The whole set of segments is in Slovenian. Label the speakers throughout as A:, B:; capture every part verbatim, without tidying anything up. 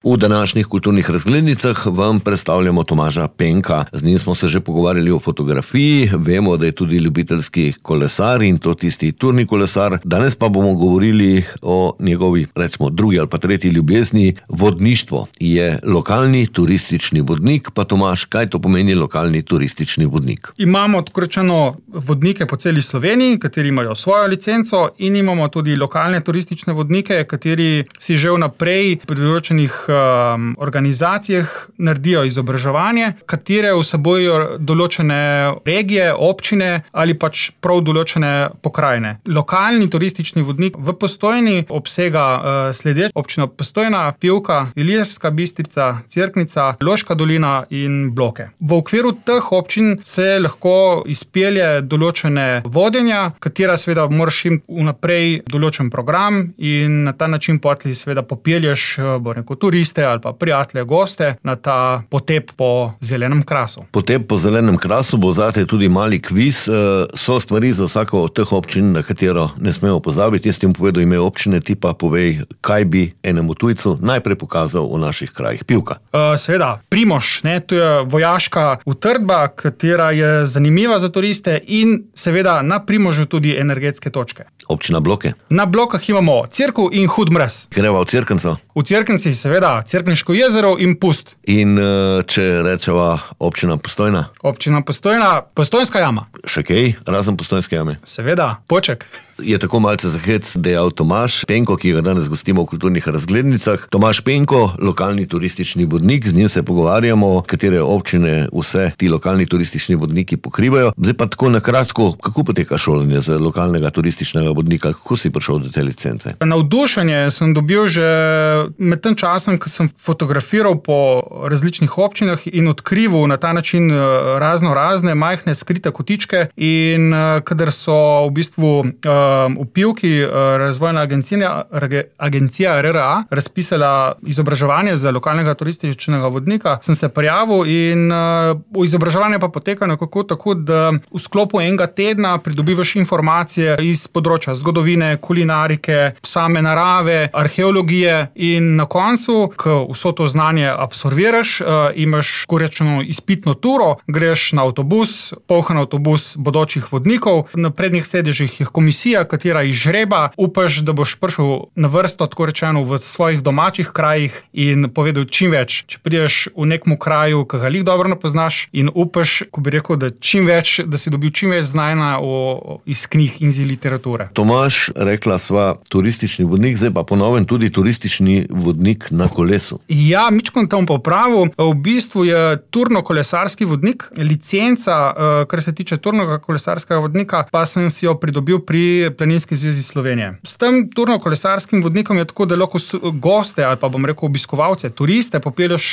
A: V današnjih kulturnih razglednicah vam predstavljamo Tomaža Penka. Z njim smo se že pogovarjali o fotografiji, vemo, da je tudi ljubiteljski kolesar in to tisti turni kolesar. Danes pa bomo govorili o njegovi, recimo, drugi ali pa tretji ljubezni, vodništvo. Je lokalni turistični vodnik, pa Tomaž, kaj to pomeni lokalni turistični vodnik?
B: Imamo tako rečeno vodnike po celi Sloveniji, kateri imajo svojo licenco, in imamo tudi lokalne turistične vodnike, kateri si že vnaprej pri določenih um, organizacijah naredijo izobraževanje, katere vsebujejo določene regije, občine ali pač prav določene pokrajine. Lokalni turistični vodnik v Postojni obsega uh, sledeč: občina Postojna, Pivka, Ilirska Bistrica, Cerknica, Loška dolina in Bloke. V okviru teh občin se lahko izpelje določene vodenja, katera seveda moraš imeti vnaprej določen program in na ta način potli seveda popelješ, bo rekel, turiste ali pa prijatelje, goste na ta potep po zelenem krasu.
A: Potep po zelenem krasu bo zate tudi mali kviz. So stvari za vsako od teh občin, na katero ne smemo pozabiti. Jaz ti bom povedal ime občine, ti pa povej, kaj bi enemu tujcu najprej pokazal v naših krajih. Pivka.
B: Uh, seveda, Primož, ne, to je vojaška utrdba, katera je zanimiva za turiste, in seveda na Primožu tudi energetske točke.
A: Občina Bloke.
B: Na Blokah imamo Cerkev in Hud Mraz.
A: Greva v Cerknico.
B: V Cerknici seveda Cerkniško jezero in Pust.
A: In če rečeva občina Postojna?
B: Občina Postojna, Postojnska jama.
A: Še kaj, razen Postojnske jame?
B: Seveda, Poček.
A: Je tako malce za hec dejal Tomaž Penko, ki ga danes gostimo v kulturnih razglednicah. Tomaž Penko, lokalni turistični vodnik, z njim se pogovarjamo, katere občine vse ti lokalni turistični vodniki pokrivajo. Zdaj pa tako na kratko, kako poteka šolanje za lokalnega turističnega vodnika, kako si prišel do te licence?
B: Navdušenje sem dobil že med tem časom, ko sem fotografiral po različnih občinah in odkrival na ta način razno razne majhne skrite kotičke, in kadar so v bistvu v Pivki razvojna agencija, agencija R R A razpisala izobraževanje za lokalnega turističnega vodnika, sem se prijavil in izobraževanje pa poteka nekako tako, da v sklopu enega tedna pridobivaš informacije iz področja zgodovine, kulinarike, same narave, arheologije, in na koncu, ko vso to znanje absorbiraš, imaš korečeno izpitno turo, greš na avtobus, poln avtobus bodočih vodnikov, na prednjih sedežih je komisija, katera izžreba, upaš, da boš prišel na vrsto, tako rečeno, v svojih domačih krajih in povedal čim več. Če prideš v nekem kraju, ki ga lih dobro ne poznaš, in upaš, ko bi rekel, da čim več, da si dobil čim več znanja o, iz knjig in iz literature.
A: Tomaž, rekla sva turistični vodnik, zdaj pa ponovem tudi turistični vodnik na kolesu.
B: Ja, mičko tam popravil. V bistvu je turno-kolesarski vodnik, licenca, kar se tiče turno-kolesarskega vodnika, pa sem si jo pridobil pri Planinski zvezi Slovenije. S tem turno-kolesarskim vodnikom je tako, da lahko goste ali pa, bom rekel, obiskovalce, turiste popelješ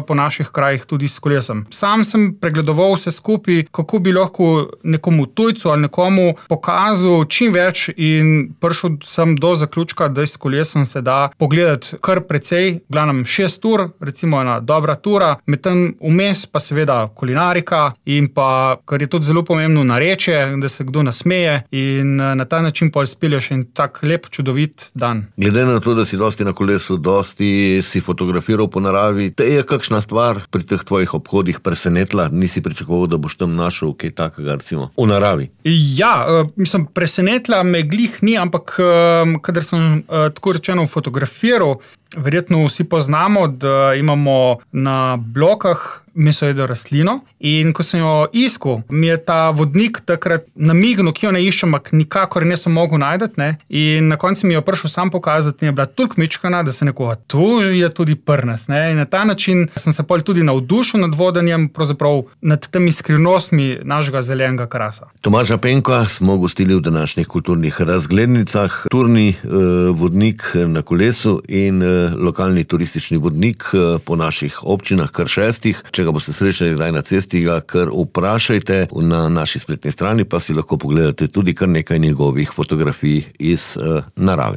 B: po naših krajih tudi s kolesom. Sam sem pregledoval vse skupaj, kako bi lahko nekomu tujcu ali nekomu pokazal čim več, in prišel sem do zaključka, da s kolesom se da pogledati kar precej, glavnem šest ur, recimo ena dobra tura, medtem vmes pa seveda kulinarika in pa, kar je tudi zelo pomembno, narečje, da se kdo nasmeje, in na ta način pa izpelješ en tak lep, čudovit dan.
A: Glede na to, da si dosti na kolesu, dosti si fotografiral po naravi, te je kakšna stvar pri teh tvojih obhodih presenetila? Nisi pričakoval, da boš tam našel kaj takega, recimo, v naravi?
B: Ja, mislim, presenetila me glih ni, ampak kadar sem tako rečeno fotografiral, verjetno vsi poznamo, da imamo na Blokah mesojedo rastlino, in ko sem jo iskal, mi je ta vodnik takrat namignil, ki jo ne iščem, ampak nikakor nisem mogel najdeti, ne? In na koncu mi jo prišel sam pokazati in je bila toliko mičkana, da se nekoga, tu je tudi prnes, ne? In na ta način sem se pol tudi navdušil nad vodenjem, pravzaprav nad temi skrivnostmi našega zelenega krasa.
A: Tomaža Penka smo gostili v današnjih kulturnih razglednicah, turni eh, vodnik na kolesu in eh, lokalni turistični vodnik eh, po naših občinah, kar šestih. Če ga boste srečali kdaj na cesti, ga kar vprašajte. Na naši spletni strani pa si lahko pogledate tudi kar nekaj njegovih fotografij iz uh, narave.